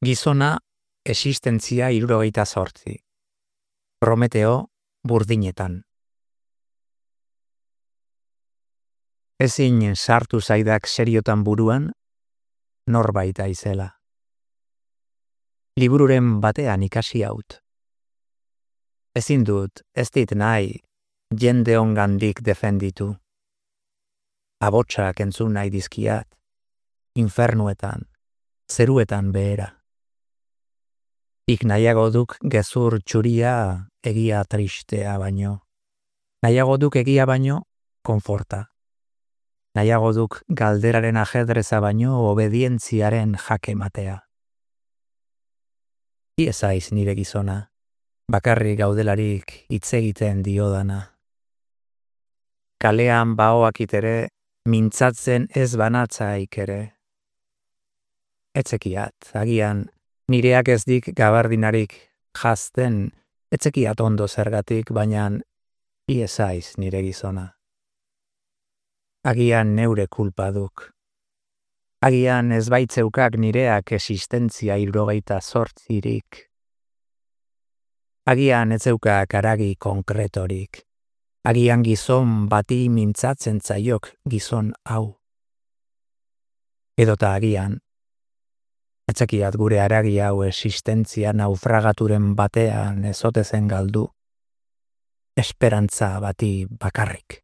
Gizona existentzia 78. Prometeo burdinetan. Ezin sartu zaidak seriotan buruan, norbait aizela. Libururen batean ikasi haut. Ezin dut, ez dit nahi, jende ongandik defenditu. Abotsak entzun nahi dizkiat, infernuetan, zeruetan behera. Ik nahiago duk gezur txuria egia tristea baino. Nahiago duk egia baino, konforta. Nahiago duk galderaren ajedreza baino obedientziaren jake matea. Iezaiz nire gizona, bakarrik gaudelarik hitz egiten diodana. Kalean baoakit ere, mintzatzen ez banatzaik ere. Etzekiat, agian, nireak ez dik gabardinarik jazten, etzekiat ondo zergatik, baina iezaiz nire gizona. Agian neure kulpa duk. Agian ez baitzeukak nireak existentzia 78. Agian ez zeukak haragi konkretorik. Agian gizon bati mintzatzen zaiok gizon hau. Edota agian, etzekiat gure haragi hau existentzia naufragaturen batean ezotezen galdu, esperantza bati bakarrik.